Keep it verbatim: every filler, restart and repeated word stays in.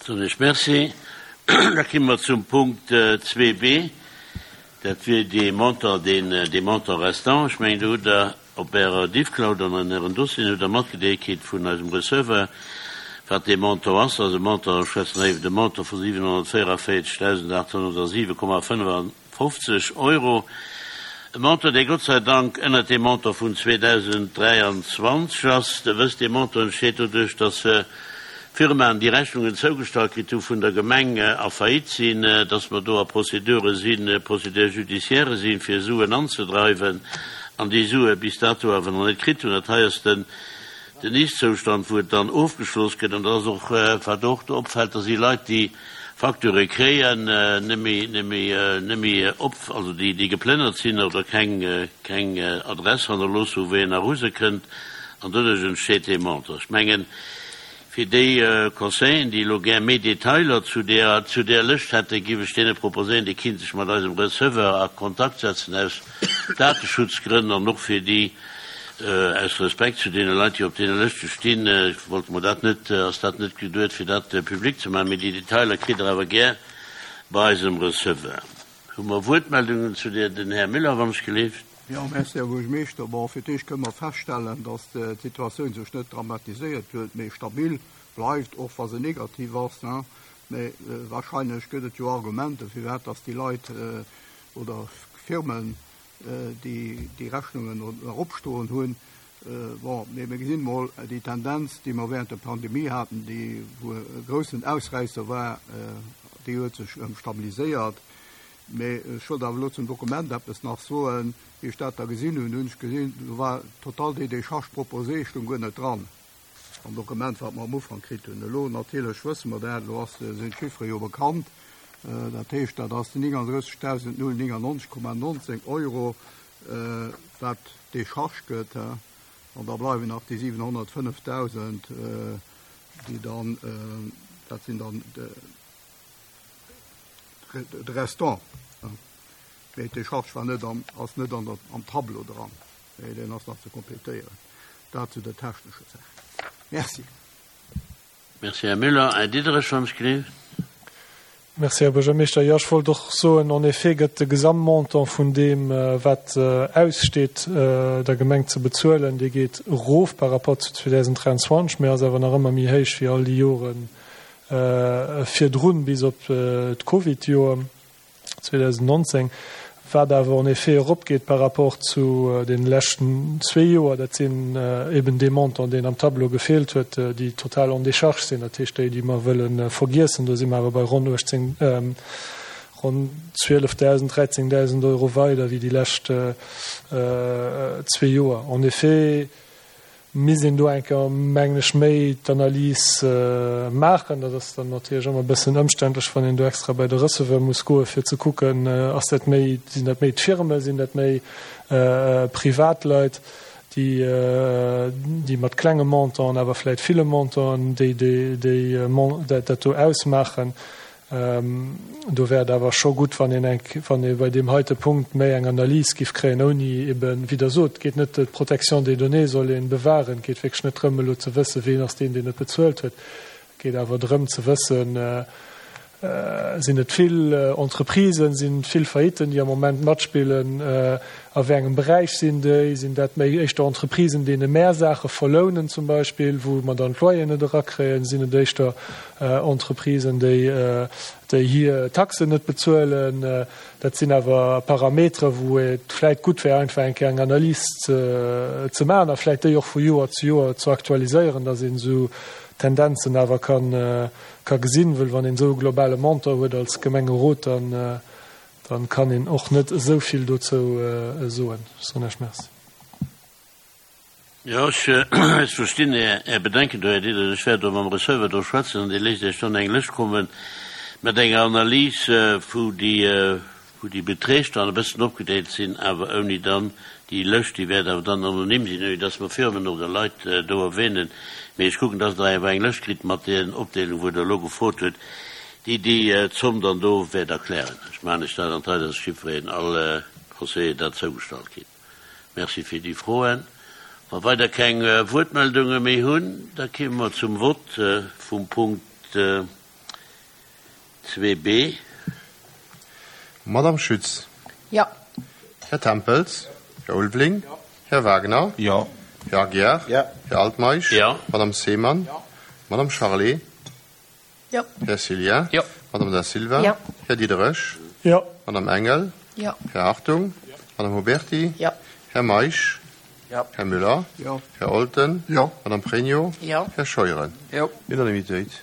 Soen ech Merci. Da komme mer zum Punkt zwee b. Dat wier dee Montant, deen, dee Montant restant. Ech mengen, do hutt Der op Ärer Diffcloud an an Ären Dossieren hutt Der matgedeelt kritt vun eisem Receveur, wat dee Montant ass. Dat ass e Montant, ech schwätzen hei iwwer e Montant vu siwenhonnertvéierunvéierzegdausendachthonnertsiwe Komma fënnefafofzeg Euro. E Montant, dee Gott sei Dank ënnert deem Montant vun zweedausenddräianzwanzeg ass. Der wësst, dee Montant entsteet doduerch, dass Firmaen, déi Rechnungen zougestallt kritt hu vun der Gemeng, a Faillite sinn, dass mer do a Procédure sinn, Procédures judiciaires sinn, fir Suen anzedreiwen, an déi Sue bis dato awer nach net kritt hunn. Dat hei ass den den Ist-Zoustand, wou et dann ofgeschloss gëtt. An dat ass och, wat och do opfält, da si Leit, déi Facturë kréien, net méi, net méi, net méi op, also déi, déi geplënnert sinn oder keng, keng Adress hannerlooss hu wou een nach u se kënnt, an doduerch entsteet dee Montant. Ech mengen, fir déi Conseilleren, déi elo gär méi Detailer zu där, zu där Lëscht hätten, géif ech deene proposéieren, déi kinnte sech mat eisem Receveur a Kontakt setzen aus Dateschutzgrënn an och fir déi, aus Respekt zu deene Leit, déi op deene Lëschte stinn, wollte mer dat net, ass dat net geduet, fir dat public ze maachen, mee déi Detailer kritt Der awer gär bei eisem Receveur. Hu mer Wuertmeldungen zu där? Den Här Müller, wann ech geleeft. Jo, merci, Här Buergermeeschter. Bon, fir d'éischt kënne mer feststellen, dass d'Situatioun sech net dramatiséiert huet, mee stabil bleift, och wa se negativ ass. Mee wahrscheinlech gëtt et jo Argumenten, firwat dass déi Leit oder Firmen déi déi Rechnungen eropstoen hunn. Bon, mee mir gesinn emol déi Tendenz, déi mer während der Pandemie haten, déi wou e groussen Ausräisser war, déi huet sech erëm stabiliséiert. Mee ech wollt awer elo zum Dokument eppes nach soen. Wéi ech dat da gesinn hunn, hunn ech gesinn, do war total déi Décharge proposée stoung guer net dran am Dokument, wat mer am Ufank kritt hunn. Elo natierlech wësse mer dat, elo ass, sinn d'Chiffere jo bekannt. Dat heescht, dat ass néngandrëssegdausend null néngannonzeg Komma nonzéng Euro, wat Décharge gëtt. An da bleiwen nach déi siwenhonnertfënnefdausend, déi dann, dat sinn dann de Restant. Mee d'Décharge war net am, ass net an der, am Tableau dran. Mee deen ass nach ze kompletéieren. Dat zu der technescher Saach. Merci. Merci, Här Müller. Här Diderich, wann ech geleeft. Merci, Här Buergermeeschter. Jo, ech wollt och soen, en effet gëtt de Gesamtmontant vun deem, wat aussteet der Gemeng ze bezuelen, dee geet erof par rapport zu zweedausenddräianzwanzeg, mä ass awer nach ëmmer méi héich wéi all déi Jore virdrun, bis op d'Covid-Joer zweedausendnonzéng. Wat awer en effet eropgeet par rapport zu deene leschten zwee Joer, dat sinn eben dee Montant, deen am Tableau gefeelt huet, déi total en décharge sinn, dat heescht déi, déi mer wëlle vergiessen. Do si mer awer bei ronn uechtzéng, ronn zwielefdausend, dräizéngdausend Euro weider wéi déi lescht zwee Joer. En effet misst een do eng Kéier, mengen ech, méi d'Analys maachen. Dat ass dann natierlech ëmmer e bëssen ëmständlech, wann een do extra bei de Receveur muss goen, fir ze kucken, ass dat méi, sinn dat méi d'Firme, sinn dat méi Privatleit, déi, déi mat klenge Montanten, awer vläicht ville Montanten, déi, déi, déi dat do ausmaachen. Do wär et awer scho gutt, wann een eng, wann ee bei deem heite Punkt méi eng Analys giff kréien, ouni eben, wéi Der sot, et geet net, d'Protection des données soll ee bewahren, et geet wierklech net drëm, elo ze wëssen, ween ass deen, deen et bezuelt huet. Et geet awer drëm ze wëssen, sinn et vill Entreprisen, sinn et vill Failliten, déi am Moment matspillen, a wéi engem Beräich sinn déi, sinn dat méi éischter Entreprisen, deene mär Saache verlounen zum Beispill, wou mer dann d'Loyeren net erakréien, sinn et éischter Entreprisen, déi déi hir Taxen net bezuelen. Dat sinn awer Parametere, wou et vläicht gutt wär, einfach eng Kéier eng Analys ze ze maachen a vläicht déi och vu Joer zu Joer ze aktualiséieren, datt een esou Tendenzen awer kann ka gesinn, wëll wann een esou e globale Montant huet als Gemengerot, dann dann kann een och net esou vill dozou soen. Ech soen Iech Merci. Jo, ech ech verstinn Är Är Bedenken do, Här Diderich. Ech wäert do mam Receveur do schwätzen an dee léisst Iech dann eng Lëscht komme mat enger Analys, wou déi wou déi Beträg dann e bëssen opgedeelt sinn, awer ouni dann déi Lëscht, déi wäert awer dann anonym sinn, ouni dass mer Firmen oder Leit do erwähnen. Mee ech kucken, dass Der awer eng Lëscht kritt mat den Opdeelung, wou Der elo gefrot hutt, déi déi Zomm dann do wäert erklären. Ech maachen lech dat an d'Rei, dass jiddwereen, all Conseiller dat zougestallt kritt. Merci fir déi Froen. Wa weider keng Wuertmeldunge méi hunn, da kéime mer zum Vott vum Punkt. Zwee B. Madame Schütz. Jo. Här Tempels. Här Ulveling. Här Wagner. Jo. Här Aguiar. Jo. Här Altmeisch. Jo. Madame Seemann. Jo. Madame Charlé. Jo. Här Cillien. Jo. Madame Da Silva. Jo. Här Diderich. Jo. Madame Engel. Jo. Här Hartung. Jo. Madame Huberty. Jo. Här Meisch. Jo. Här Müller. Jo. Här Olten. Jo. Madame Pregno. Jo. Här Scheuren. Jo. Unanimitéit.